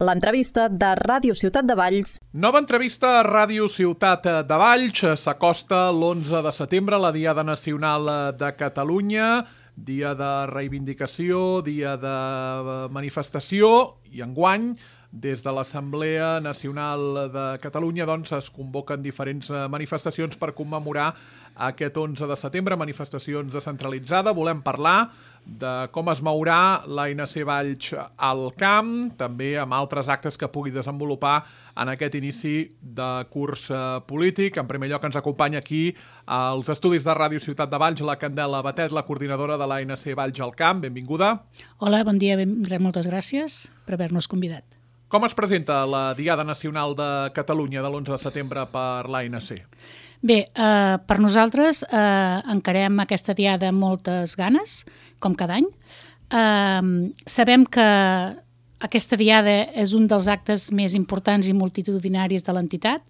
L'entrevista de Ràdio Ciutat de Valls. Nova entrevista a Ràdio Ciutat de Valls. S'acosta l'11 de setembre, la Diada Nacional de Catalunya, dia de reivindicació, dia de manifestació, i enguany, des de l'Assemblea Nacional de Catalunya, es convoquen diferents manifestacions per commemorar aquest 11 de setembre, manifestacions descentralitzades. Volem parlar de com es mourà l'ANC Valls al camp, també amb altres actes que pugui desenvolupar en aquest inici de curs polític. En primer lloc ens acompanya aquí als estudis de Ràdio Ciutat de Valls la Candela Batet, la coordinadora de l'ANC Valls al camp. Benvinguda. Hola, bon dia, moltes gràcies per haver-nos convidat. Com es presenta la Diada Nacional de Catalunya de l'11 de setembre per l'ANC? Bé, per nosaltres encarem aquesta diada amb moltes ganes, com cada any. Sabem que aquesta diada és un dels actes més importants i multitudinaris de l'entitat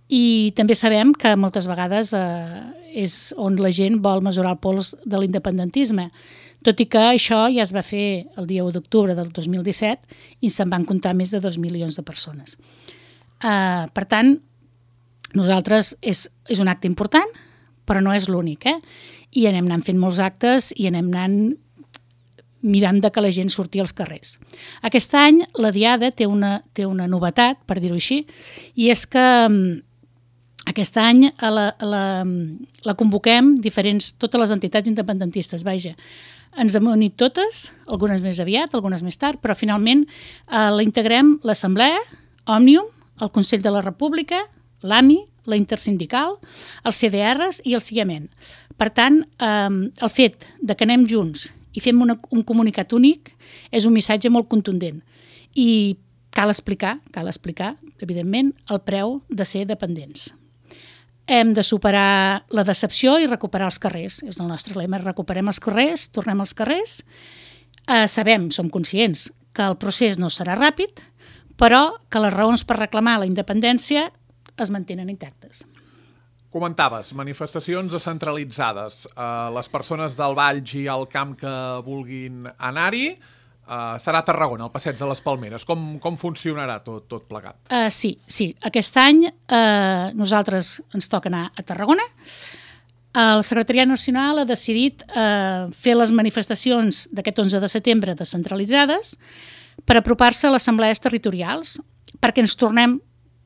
i també sabem que moltes vegades és on la gent vol mesurar el pols de l'independentisme, tot i que això ja es va fer el dia 1 d'octubre del 2017 i se'n van comptar més de 2 milions de persones. Per tant, nosaltres és un acte important, però no és l'únic, I anem anant fent molts actes i anem anant mirant que la gent surti als carrers. Aquest any la Diada té una novetat, per dir-ho així, i és que aquest any la convoquem totes les entitats independentistes, vaja. Ens hem unit totes, algunes més aviat, algunes més tard, però finalment la integrem l'Assemblea, Òmnium, el Consell de la República, l'AMI, la Intersindical, els CDRs i el CIAMEN. Per tant, el fet que anem junts i fem un comunicat únic és un missatge molt contundent i cal explicar, evidentment, el preu de ser dependents. Hem de superar la decepció i recuperar els carrers. És el nostre lema, recuperem els carrers, tornem als carrers. Som conscients que el procés no serà ràpid, però que les raons per reclamar la independència es mantenen intactes. Comentaves, manifestacions descentralitzades. Les persones del Valls i al camp que vulguin anar-hi, serà a Tarragona, al Passeig de les Palmeres. Com funcionarà tot plegat? Sí. Aquest any nosaltres ens toca anar a Tarragona. El Secretariat Nacional ha decidit fer les manifestacions d'aquest 11 de setembre descentralitzades per apropar-se a les assemblees territorials, perquè ens tornem,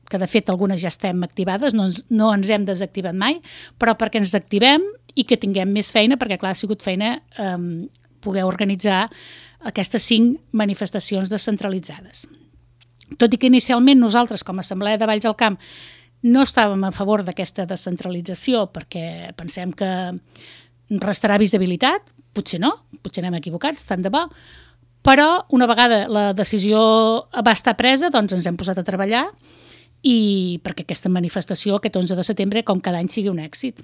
que de fet algunes ja estem activades, no ens hem desactivat mai, però perquè ens activem i que tinguem més feina, perquè clar, ha sigut feina poder organitzar aquestes 5 manifestacions descentralitzades. Tot i que inicialment nosaltres, com a Assemblea de Valls al Camp, no estàvem a favor d'aquesta descentralització perquè pensem que restarà visibilitat, potser no, potser anem equivocats, tant de bo, però una vegada la decisió va estar presa, doncs ens hem posat a treballar i perquè aquesta manifestació, aquest 11 de setembre, com cada any, sigui un èxit.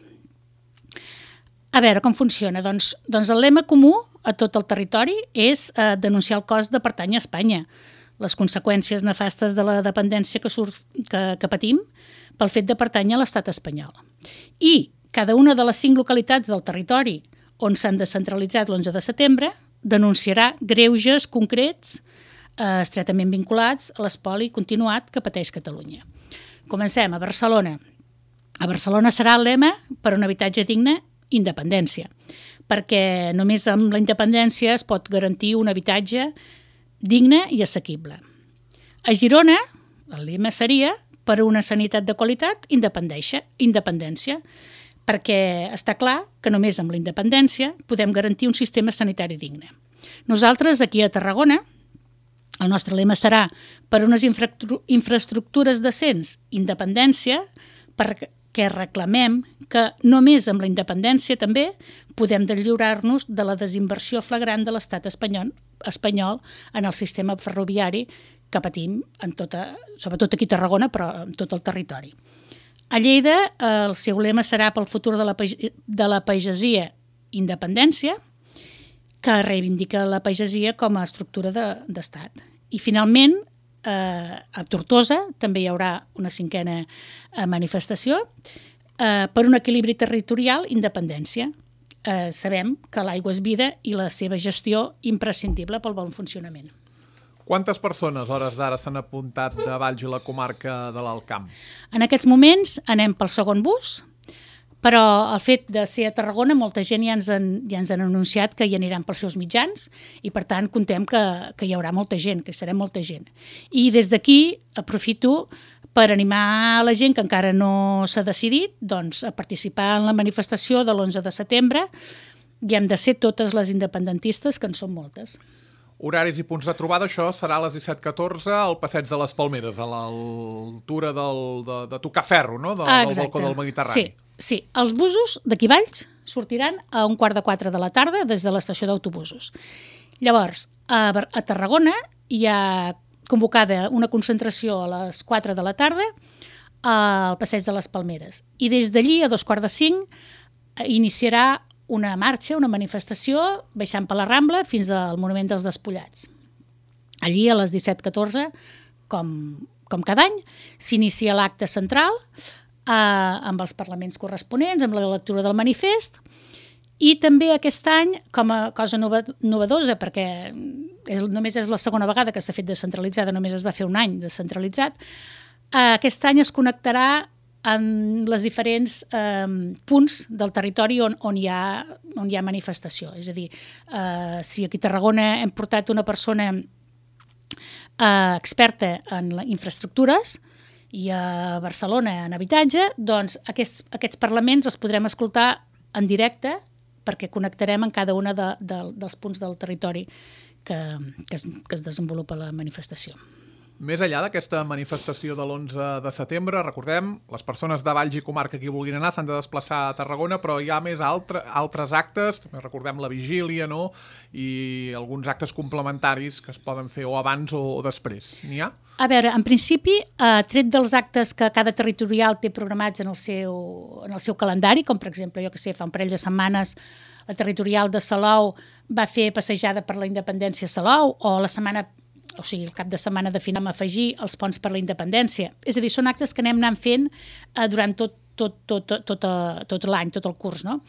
A veure com funciona. Doncs el lema comú a tot el territori és denunciar el cost de pertànyer a Espanya, les conseqüències nefastes de la dependència que patim pel fet de pertànyer a l'estat espanyol. I cada una de les 5 localitats del territori on s'han descentralitzat l'11 de setembre denunciarà greuges concrets estretament vinculats a l'espoli continuat que pateix Catalunya. Comencem a Barcelona. A Barcelona serà el lema per un habitatge digne, independència, perquè només amb la independència es pot garantir un habitatge digne i assequible. A Girona, el lema seria per una sanitat de qualitat, independència, perquè està clar que només amb la independència podem garantir un sistema sanitari digne. Nosaltres, aquí a Tarragona, el nostre lema serà per unes infraestructures decents, independència, perquè reclamem que només amb la independència també podem deslliurar-nos de la desinversió flagrant de l'estat espanyol en el sistema ferroviari que patim, sobretot aquí a Tarragona, però en tot el territori. A Lleida, el seu lema serà pel futur de la pagesia independència, que reivindica la pagesia com a estructura d'estat. I finalment, a Tortosa també hi haurà una 5a manifestació per un equilibri territorial, independència. Sabem que l'aigua és vida i la seva gestió imprescindible pel bon funcionament. Quantes persones, a hores d'ara, s'han apuntat de Valls i la comarca de l'Alt Camp? En aquests moments anem pel segon bus, però el fet de ser a Tarragona, molta gent ja ens han anunciat que hi aniran pels seus mitjans i, per tant, contem que hi haurà molta gent, que hi serà molta gent. I des d'aquí aprofito per animar la gent que encara no s'ha decidit doncs, a participar en la manifestació de l'11 de setembre i hem de ser totes les independentistes, que en són moltes. Horaris i punts de trobada, això serà a les 17:14 al Passeig de les Palmeres, a l'altura de Tocaferro, no? Del balcó del Mediterrani. Sí. Els busos d'aquí Valls sortiran a 3:15 de la tarda des de l'estació d'autobusos. Llavors, a Tarragona hi ha convocada una concentració a les 4 de la tarda al Passeig de les Palmeres. I des d'allí, a 4:45, iniciarà una marxa, una manifestació, baixant per la Rambla fins al Monument dels Despullats. Allí, a les 17:14, com cada any, s'inicia l'acte central amb els parlaments corresponents, amb la lectura del manifest, i també aquest any, com a cosa novedosa, perquè només és la segona vegada que s'ha fet descentralitzada, només es va fer un any descentralitzat, aquest any es connectarà en els diferents punts del territori on hi ha manifestació. És a dir, si aquí a Tarragona hem portat una persona experta en infraestructures i a Barcelona en habitatge, doncs aquests parlaments els podrem escoltar en directe perquè connectarem en cada un dels punts del territori que es desenvolupa la manifestació. Més enllà d'aquesta manifestació de l'11 de setembre, recordem, les persones de Valls i comarca que hi vulguin anar s'han de desplaçar a Tarragona, però hi ha més altres actes, també recordem la vigília, no? I alguns actes complementaris que es poden fer o abans o després. N'hi ha? A veure, en principi, tret dels actes que cada territorial té programats en el seu calendari, com per exemple, fa un parell de setmanes la territorial de Salou va fer passejada per la independència a Salou, o el cap de setmana de final afegir els ponts per la independència. És a dir, són actes que anem anant fent durant tot l'any, tot el curs, no?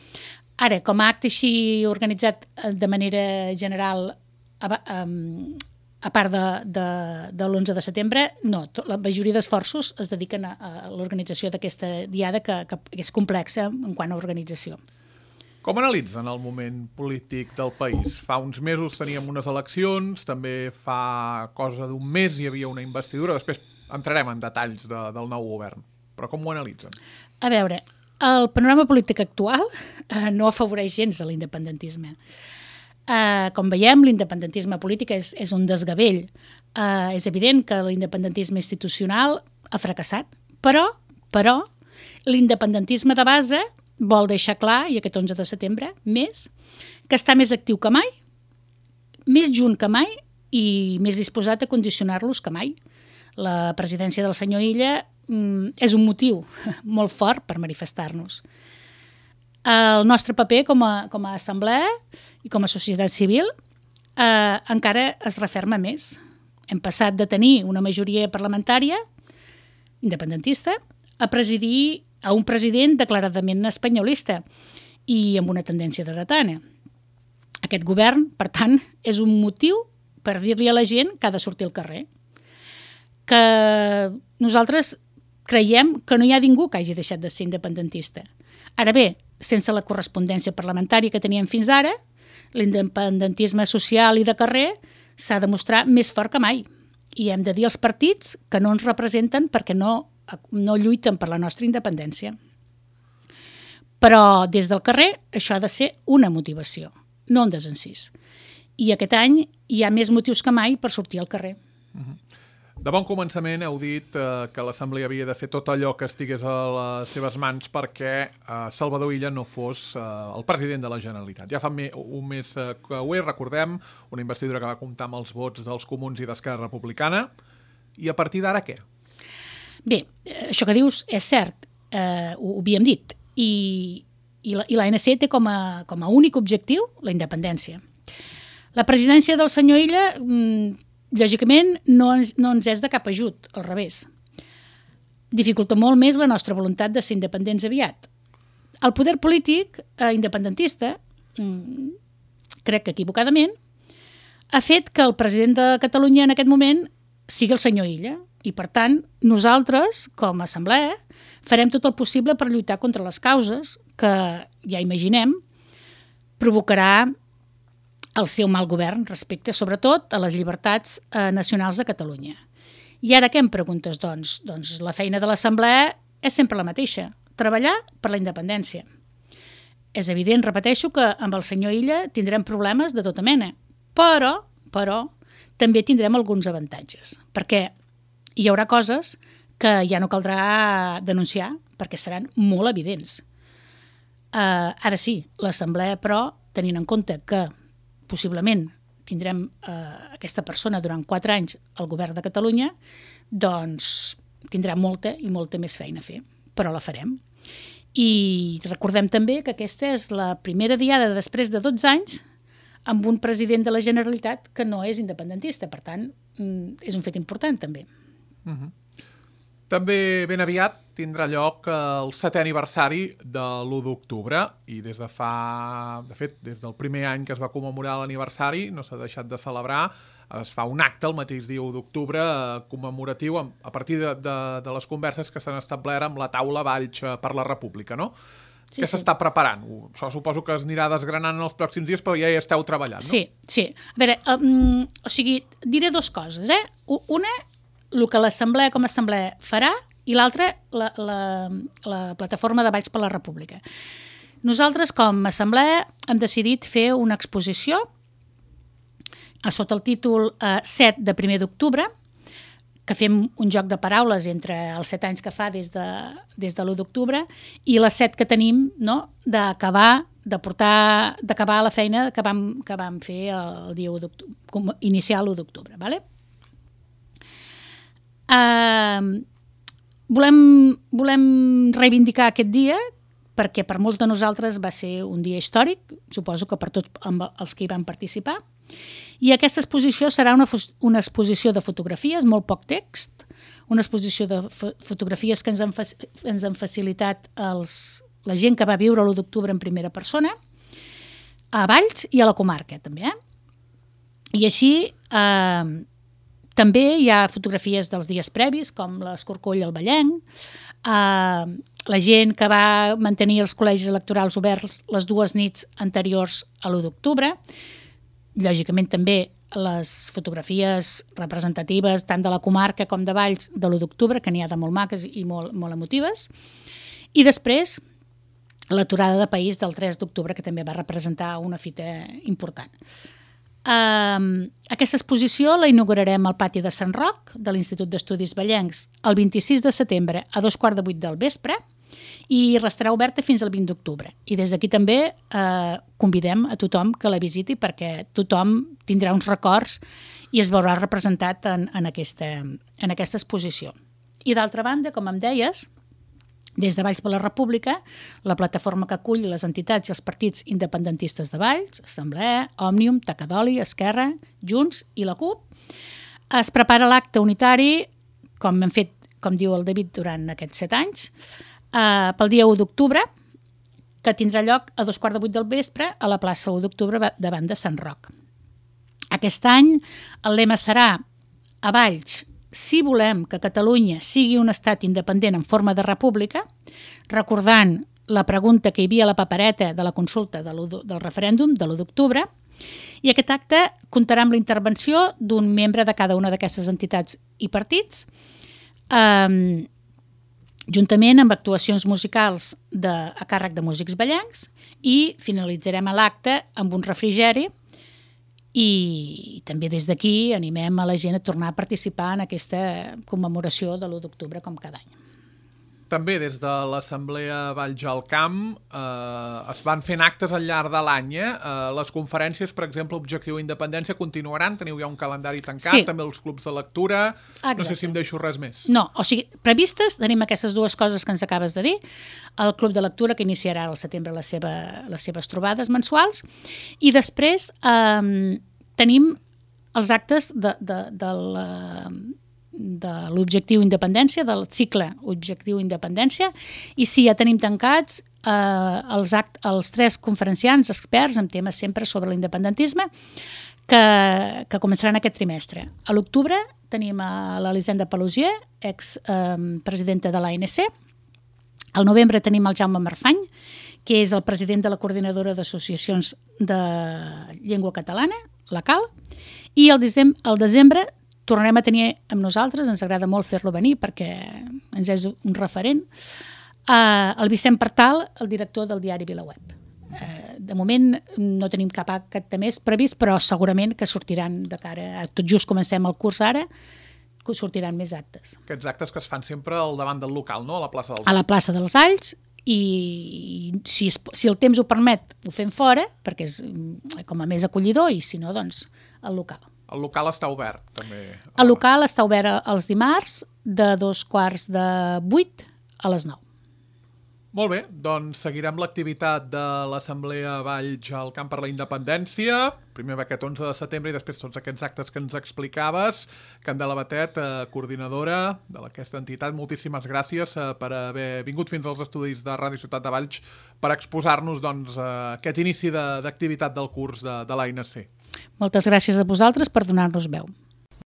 Ara, com a acte així organitzat de manera general a part de l'11 de setembre, no. La majoria d'esforços es dediquen a l'organització d'aquesta diada que és complexa en quant a organització. Com analitzen el moment polític del país? Fa uns mesos teníem unes eleccions, també fa cosa d'un mes hi havia una investidura, després entrarem en detalls del nou govern. Però com ho analitzen? A veure, el panorama polític actual no afavoreix gens a l'independentisme. Com veiem, l'independentisme polític és un desgavell. És evident que l'independentisme institucional ha fracassat, però l'independentisme de base vol deixar clar, i aquest 11 de setembre, que està més actiu que mai, més junt que mai i més disposat a condicionar-los que mai. La presidència del senyor Illa és un motiu molt fort per manifestar-nos. El nostre paper com a assemblea i com a societat civil encara es referma més. Hem passat de tenir una majoria parlamentària independentista a presidir a un president declaradament espanyolista i amb una tendència dretana. Aquest govern, per tant, és un motiu per dir-li a la gent que ha de sortir al carrer. Que nosaltres creiem que no hi ha ningú que hagi deixat de ser independentista. Ara bé, sense la correspondència parlamentària que teníem fins ara, l'independentisme social i de carrer s'ha de mostrar més fort que mai. I hem de dir als partits que no ens representen perquè no lluiten per la nostra independència. Però des del carrer això ha de ser una motivació, no un desencís. I aquest any hi ha més motius que mai per sortir al carrer. De bon començament heu dit que l'Assemblea havia de fer tot allò que estigués a les seves mans perquè Salvador Illa no fos el president de la Generalitat. Ja fa un mes que ho és, recordem, una investidura que va comptar amb els vots dels Comuns i d'Esquerra Republicana. I a partir d'ara què? Bé, això que dius és cert, ho havíem dit, i l'ANC té com a únic objectiu la independència. La presidència del senyor Illa, lògicament, no ens és de cap ajut, al revés. Dificulta molt més la nostra voluntat de ser independents aviat. El poder polític independentista, crec que equivocadament, ha fet que el president de Catalunya en aquest moment sigui el senyor Illa. I, per tant, nosaltres, com a assemblea, farem tot el possible per lluitar contra les causes que, ja imaginem, provocarà el seu mal govern respecte, sobretot, a les llibertats nacionals de Catalunya. I ara què em preguntes, doncs? Doncs la feina de l'assemblea és sempre la mateixa, treballar per la independència. És evident, repeteixo, que amb el senyor Illa tindrem problemes de tota mena, però també tindrem alguns avantatges, perquè hi haurà coses que ja no caldrà denunciar, perquè seran molt evidents. Ara sí, l'assemblea, però, tenint en compte que possiblement tindrem aquesta persona durant 4 anys al govern de Catalunya, doncs tindrà molta i molta més feina a fer, però la farem. I recordem també que aquesta és la primera diada després de 12 anys amb un president de la Generalitat que no és independentista. Per tant, és un fet important, també. També ben aviat tindrà lloc el 7è aniversari de l'1 d'octubre i des del primer any que es va commemorar l'aniversari no s'ha deixat de celebrar. Es fa un acte el mateix dia 1 d'octubre commemoratiu a partir de les converses que s'han establert amb la taula Valls per la República, no? Sí, que s'està preparant. Això suposo que es anirà desgranant en els pròxims dies, però ja hi esteu treballant, no? Sí. A veure, diré 2 coses, Una, el que l'assemblea com a assemblea farà, i l'altra, la plataforma de Valls per la República. Nosaltres, com a assemblea, hem decidit fer una exposició sota el títol 7 de 1 d'octubre, que fem un joc de paraules entre els 7 anys que fa des de l'1 d'octubre i les 7 que tenim, no?, d'acabar la feina que vam fer el dia 1 d'octubre, iniciar l'1 d'octubre, ¿vale? Volem reivindicar aquest dia perquè per molts de nosaltres va ser un dia històric, suposo que per tots els que hi van participar. I aquesta exposició serà una exposició de fotografies, molt poc text, una exposició de fotografies que ens han facilitat la gent que va viure l'1 d'octubre en primera persona, a Valls i a la comarca, també. I així també hi ha fotografies dels dies previs, com l'Escorcoll al Vallenc, la gent que va mantenir els col·legis electorals oberts les 2 nits anteriors a l'1 d'octubre, lògicament també les fotografies representatives tant de la comarca com de Valls de l'1 d'octubre, que n'hi ha de molt maques i molt emotives, i després l'aturada de país del 3 d'octubre, que també va representar una fita important. Aquesta exposició la inaugurarem al pati de Sant Roc de l'Institut d'Estudis Vallencs el 26 de setembre a 7:45 del vespre i restarà oberta fins al 20 d'octubre. I des d'aquí també convidem a tothom que la visiti perquè tothom tindrà uns records i es veurà representat en aquesta exposició. I d'altra banda, com em deies, des de Valls per la República, la plataforma que acull les entitats i els partits independentistes de Valls, Assemblea, Òmnium, Tacadoli, Esquerra, Junts i la CUP, es prepara l'acte unitari, com hem fet, com diu el David, durant aquests 7 anys, pel dia 1 d'octubre, que tindrà lloc a 7:45 del vespre a la plaça 1 d'octubre davant de Sant Roc. Aquest any el lema serà a Valls, si volem que Catalunya sigui un estat independent en forma de república, recordant la pregunta que hi havia a la papereta de la consulta del referèndum de l'1 d'octubre, i aquest acte comptarà amb la intervenció d'un membre de cada una d'aquestes entitats i partits, juntament amb actuacions musicals a càrrec de músics vallencs, i finalitzarem l'acte amb un refrigeri. I també des d'aquí animem a la gent a tornar a participar en aquesta commemoració de l'1 d'octubre com cada any. També des de l'Assemblea Valls al Camp es van fent actes al llarg de l'any. Les conferències, per exemple, Objectiu Independència, continuaran? Teniu ja un calendari tancat? Sí. També els clubs de lectura? Exacte. No sé si em deixo res més. No, o sigui, previstes tenim aquestes 2 coses que ens acabes de dir. El club de lectura, que iniciarà al setembre les seves trobades mensuals, i després tenim els actes de l'Objectiu Independència, del cicle Objectiu Independència, i sí, ja tenim tancats els 3 conferenciants experts en temes sempre sobre l'independentisme, que començaran aquest trimestre. A l'octubre tenim a l'Elisenda Pelusier, expresidenta de l'ANC. Al novembre tenim el Jaume Marfany, que és el president de la Coordinadora d'Associacions de Llengua Catalana, la CAL, i al desembre tornarem a tenir amb nosaltres, ens agrada molt fer-lo venir perquè ens és un referent, el Vicent Partal, el director del diari VilaWeb. De moment no tenim cap acte més previst, però segurament que sortiran de cara, tot just comencem el curs ara, sortiran més actes. Aquests actes que es fan sempre al davant del local, no? A la plaça dels Alls. A la plaça dels Alls, i si el temps ho permet ho fem fora, perquè és com a més acollidor, i si no, doncs al local. El local està obert, també. El local està obert els dimarts de 7:45 a les 9. Molt bé, doncs seguirem l'activitat de l'Assemblea Valls al Camp per la Independència, primer aquest 11 de setembre i després tots aquests actes que ens explicaves. Candela Batet, coordinadora d'aquesta entitat, moltíssimes gràcies per haver vingut fins als estudis de Ràdio Ciutat de Valls per exposar-nos aquest inici d'activitat del curs de l'ANC. Moltes gràcies a vosaltres per donar-nos veu.